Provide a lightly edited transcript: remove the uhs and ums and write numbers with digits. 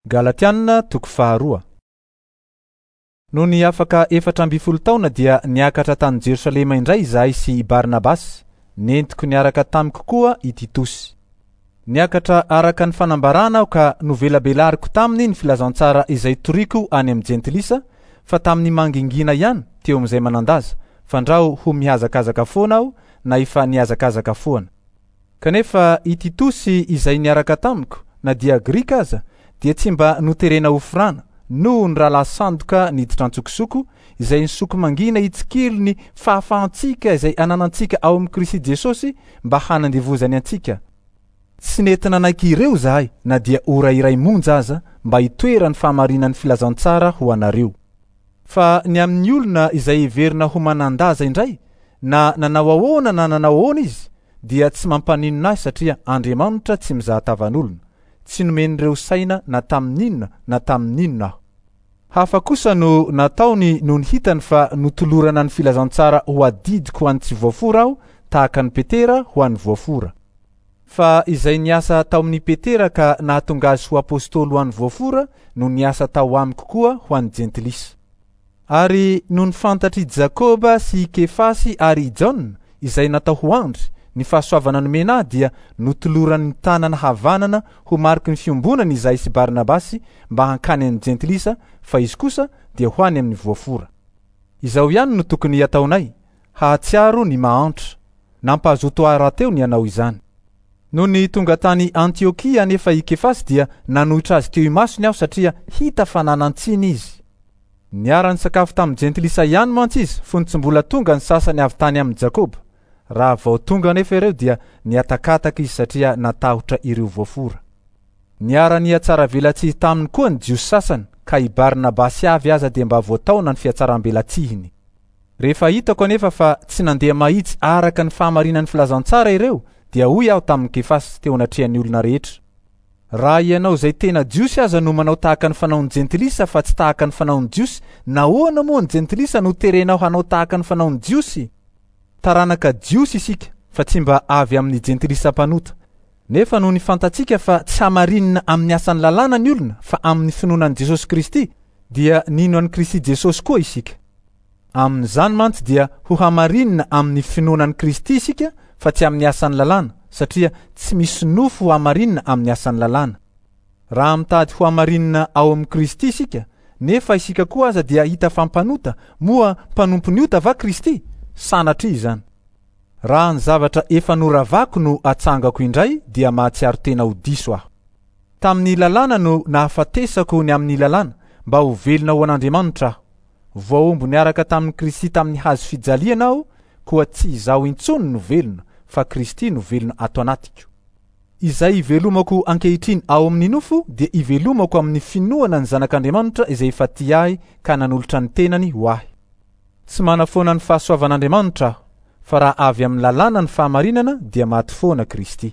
Galatiana toko faharoa. Nony afaka 14 taona dia niakatra tany Jerosalema indray izahay sy i Barnabasy, nentiko niaraka tamiko koa i Titosy. Niakatra araka ny fanambarana aho ka novelabelariko taminy ny filazantsara izay toriko any amin'ny jentilisa, fa tamin'ny mangingina ihany teo amin'izay manan-daza, fandrao ho mihazakazaka foana aho na efa nihazakazaka foana. Kanefa i Titosy izay niaraka tamiko, na dia Grika aza, dia tsy mba noterena ho forana, noho ny rahalahy sandoka niditra an-tsokosoko, izay nisoko mangina hitsikilo ny fahafahantsika izay ananantsika ao amin'i Kristy Jesosy mba hanandevozany antsika. Tsy nety nanaiky ireo izahay na dia ora iray monja aza mba hitoeran'ny fahamarinan'ny filazantsara ho anareo. Fa ny amin'ny olona izay heverina ho manan-daza indray, na nanao ahoana na nanao ahoana izy, dia tsy mampaninona ahy satria Andriamanitra tsy mizaha tavan'olona. Tsy nomen'ireo saina na tamin'inona na tamin'inona aho. Hafa kosa no nataony nony hitany fa notolorana ny filazantsara ho adidiko ho an'ny tsy voafora aho, tahaka an'i Petera ho an'ny voafora. Fa izay niasa tao amin'i Petera ka nahatonga azy ho apostoly ho an'ny voafora no niasa tao amiko koa ho an'ny jentilisa. Ary nony fantatr'i Jakoba sy i Kefasy ary i Jaona, izay natao ho andry, ny fahasoavana nomena ahy dia notolorany ny tanana havanana ho mariky ny fiombonana izahay sy Barnabasy mba hankany amin'ny jentilisa, fa izy kosa dia ho any amin'ny voafora. Izao ihany no tokony hataonay, hahatsiaro ny mahantra. Nampahazoto ahy rahateo ny hanao izany. Nony tonga tany Antiokia anefa i Kefasy dia nanohitra azy teo imasony aho satria hita fa nanan-tsiny izy. Niara-nisakafo tamin'ny jentilisa ihany mantsy izy fony tsy mbola tonga ny sasany avy tany amin'i Jakoba. Raha vao tonga anefa ireo dia nihatakataka izy satria natahotra ireo voafora. Niara-nihatsaravelatsihy taminy koa ny Jiosy sasany ka i Barnabasy avy aza dia mba voataona ny fihatsarambelatsihiny. Rehefa hitako anefa fa tsy nandeha mahitsy araka ny fahamarinan'ny filazantsara ireo, dia hoy aho tamin'i Kefasy teo anatrehan'ny olona rehetra, Raha ianao izay tena Jiosy aza no manao tahaka ny fanaon'ny jentilisa fa tsy tahaka ny fanaon'ny Jiosy, nahoana moa ny jentilisa no terenao hanao tahaka ny fanaon'ny Jiosy? Taranaka Jiosy isika fa tsy mba avy amin'ny jentilisa mpanota. Nefa nony fantatsika fa tsy hamarinina amin'ny asan'ny lalàna ny olona fa amin'ny finoana an'i Jesosy Kristy, dia nino an'i Kristy Jesosy koa isika. Amin'izany mantsy dia ho hamarinina amin'ny finoana an'i Kristy isika fa tsy amin'ny asan'ny lalàna, satria tsy misy nofo ho hamarinina amin'ny asan'ny lalàna. Raha mitady ho hamarinina ao amin'i Kristy isika, nefa isika koa aza dia hita fa mpanota, moa mpanompon'ny ota va Kristy? Sanatria izany! Raha ny zavatra efa noravako no atsangako indray dia mahatsiaro tena ho diso aho. Tamin'ny lalàna no nahafatesako ny amin'ny lalàna, mba ho velona ho an'Andriamanitra aho. Voahombo niaraka tamin'i Kristy tamin'ny hazo fijaliana aho, koa tsy izaho intsony no velona, fa Kristy no velona ato anatiko. Izay ivelomako ankehitriny ao amin'ny nofo dia ivelomako amin'ny finoana ny Zanak'Andriamanitra izay efa tia ahy ka nanolotra ny tenany ho ahy. Tsy manafoana ny fahasoavan'Andriamanitra aho, fa raha avy amin'ny lalàna ny fahamarinana dia maty foana Kristy.